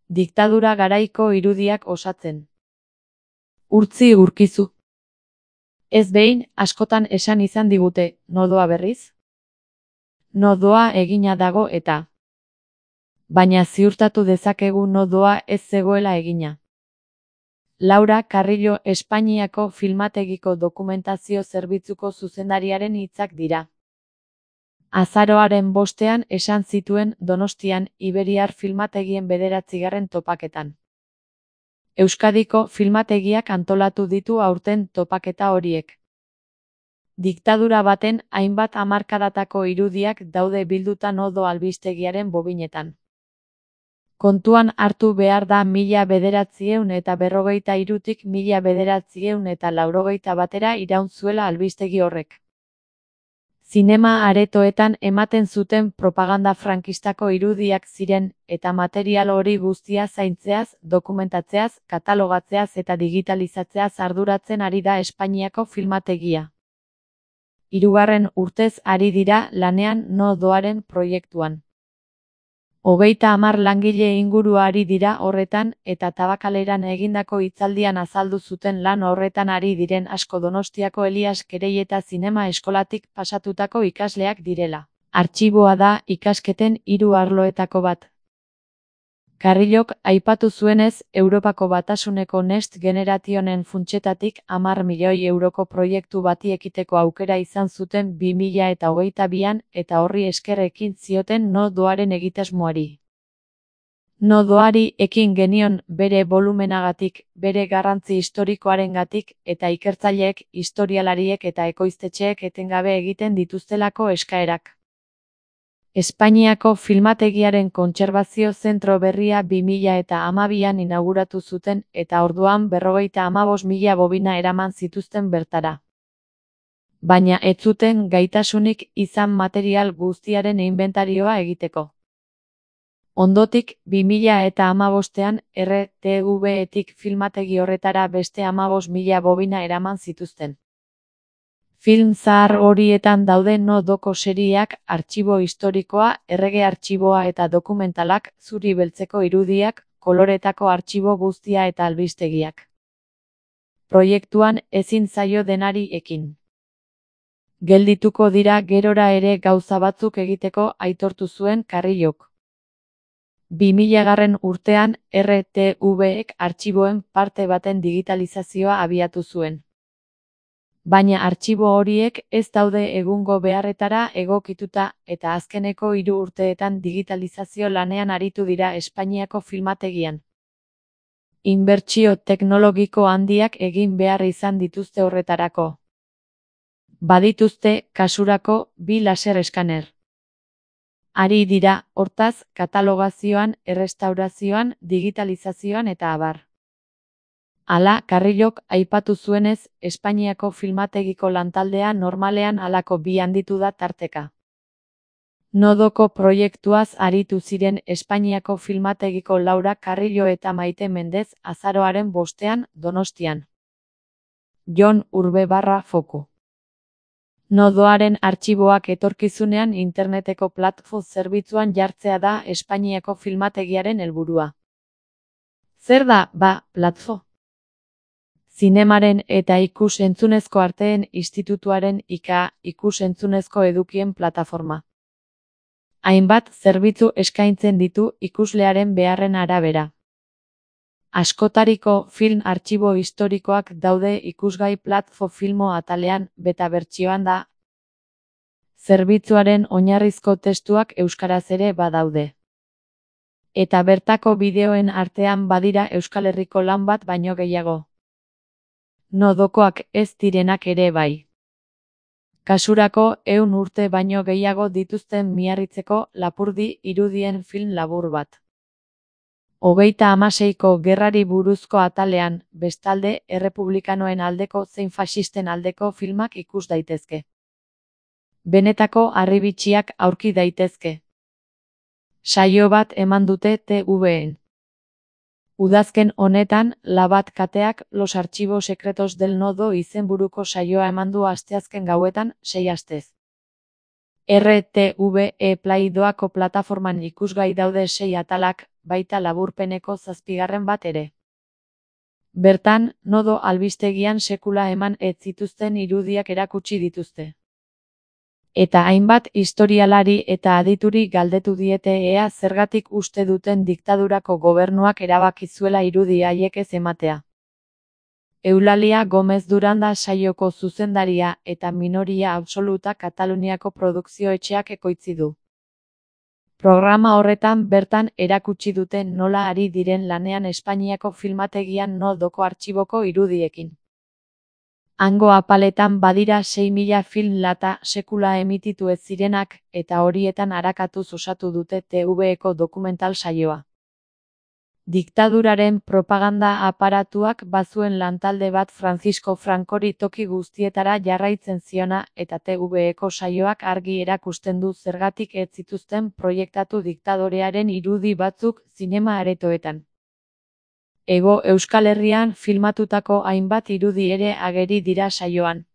Diktadura garaiko irudiak osatzen. Urtzi urkizu. Ez behin, askotan esan izan digute, nodoa berriz? Nodoa egina dago eta. Baina ziurtatu dezakegu nodoa ez zegoela egina. Laura Carrillo Espainiako Filmategiko Dokumentazio Zerbitzuko zuzendariaren hitzak dira. Azaroaren 5ean esan zituen Donostian Iberiar Filmategien 9. topaketan. Euskadiko filmategiak antolatu ditu aurten topaketa horiek. Diktadura baten hainbat hamarkadatako irudiak daude bilduta nodo albistegiaren bobinetan. Kontuan hartu behar da 1943tik 1981 batera iraun zuela albistegi horrek. Zinema aretoetan ematen zuten propaganda frankistako irudiak ziren, eta material hori guztia zaintzeaz, dokumentatzeaz, katalogatzeaz eta digitalizatzeaz arduratzen ari da Espainiako filmategia. 3. urtez ari dira lanean nodoaren proiektuan. 30 langile inguru ari dira horretan, eta Tabakaleran egindako hitzaldian azaldu zuten lan horretan ari diren asko Donostiako Elias Kereieta Zinema Eskolatik pasatutako ikasleak direla. Artxiboa da ikasketen 3 arloetako bat. Carrillok aipatu zuenez, Europako Batasuneko Next Generationen funtsetatik 10 milioi euroko proiektu bati ekiteko aukera izan zuten 2022an eta horri esker ekin zioten nodoaren egitasmoari. Nodoari ekin genion bere volumenagatik, bere garrantzi historikoarengatik eta ikertzaileek, historialariek eta ekoiztetxeek etengabe egiten dituztelako eskaerak. Espainiako Filmategiaren kontserbazio zentro berria 2012an inauguratu zuten eta orduan 55.000 bobina eraman zituzten bertara. Baina ez zuten gaitasunik izan material guztiaren inbentarioa egiteko. Ondotik, 2015ean RTV-etik filmategi horretara beste 15.000 bobina eraman zituzten. Film zahar horietan daude nodoko serieak, artxibo historikoa, errege artxiboa eta dokumentalak, zuri beltzeko irudiak, koloretako artxibo guztia eta albistegiak. Proiektuan ezin zaio denari ekin. Geldituko dira gerora ere gauza batzuk egiteko aitortu zuen Carrillok. 2000 urtean RTV-ek artxiboen parte baten digitalizazioa abiatu zuen. Baina artxibo horiek ez daude egungo beharretara egokituta eta azkeneko 3 urteetan digitalizazio lanean aritu dira Espainiako filmategian. Inbertsio teknologiko handiak egin behar izan dituzte horretarako. Badituzte, kasurako, 2 laser eskaner. Ari dira, hortaz, katalogazioan, errestaurazioan, digitalizazioan eta abar. Hala, Carrillok aipatu zuenez, Espainiako filmategiko lantaldea normalean halako 2 handitu da tarteka. Nodoko proiektuaz aritu ziren Espainiako filmategiko Laura Carrillo eta Maite Mendez azaroaren 5ean, Donostian. Jon Urbe/Foku. Nodoaren artxiboak etorkizunean interneteko platform zerbitzuan jartzea da Espainiako filmategiaren helburua. Zer da, platform? Zinemaren eta ikus-entzunezko arteen institutuaren ikus-entzunezko edukien plataforma. Hainbat zerbitzu eskaintzen ditu ikuslearen beharren arabera. Askotariko film artxibo historikoak daude ikusgai platform filmo atalean, beta bertsioan da. Zerbitzuaren oinarrizko testuak euskaraz ere badaude. Eta bertako bideoen artean badira Euskal Herriko lan bat baino gehiago. Nodokoak ez direnak ere bai. Kasurako 100 urte baino gehiago dituzten Miarritzeko Lapurdi irudien film labur bat. 36ko gerrari buruzko atalean, bestalde, errepublikanoen aldeko zein faxisten aldeko filmak ikus daitezke. Benetako harribitxiak aurki daitezke. Saio bat eman dute TVen. Udazken honetan, Labat kateak Los Archivos Secretos del Nodo izenburuko saioa eman du asteazken gauetan, 6 astez. RTVE Play doako plataforman ikusgai daude 6 atalak, baita laburpeneko 7. bat ere. Bertan, Nodo albistegian sekula eman ez zituzten irudiak erakutsi dituzte. Eta hainbat historialari eta adituri galdetu diete ea zergatik uste duten diktadurako gobernuak erabaki zuela irudi haiek ez ematea. Eulalia Gomez Duranda saioko zuzendaria eta minoria absoluta Kataluniako produkzio-etxeak ekoitzi du. Programa horretan bertan erakutsi dute nola ari diren lanean Espainiako filmategian Nodoko artxiboko irudiekin. Hango apaletan badira 6.000 film lata sekula emititu ez zirenak, eta horietan arakatuz osatu dute TVeko dokumental saioa. Diktaduraren propaganda aparatuak bazuen lantalde bat Francisco Francori toki guztietara jarraitzen ziona, eta TVeko saioak argi erakusten du zergatik ez zituzten proiektatu diktadorearen irudi batzuk zinema aretoetan. Hego Euskal Herrian filmatutako hainbat irudi ere ageri dira saioan.